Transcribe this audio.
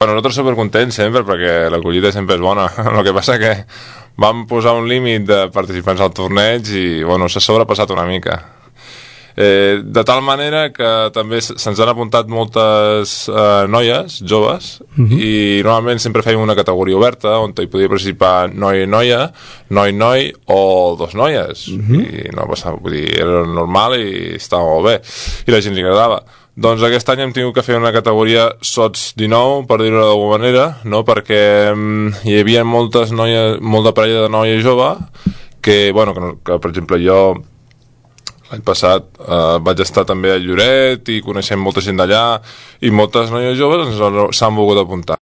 Per nosaltres supercontents sempre, perquè l'acollida sempre és bona. El que passa que vam posar un límit de participants al torneig i, bueno, s'ha sobrepassat una mica. De tal manera que també se'ns han apuntat moltes noies, joves, i normalment sempre fèiem una categoria oberta on hi podia participar noi-noia, noi-noi o dos noies. I no passava, vull dir, era normal i estava molt bé. I la gent li agradava. Doncs aquest any hem tingut que fer una categoria sots 19, per dir-ho d'alguna manera, no? Perquè hi havia molta parella de noia jove que, bueno, que per exemple jo l'any passat vaig estar també a Lloret i coneixem molta gent d'allà i moltes noies joves s'han volgut apuntar.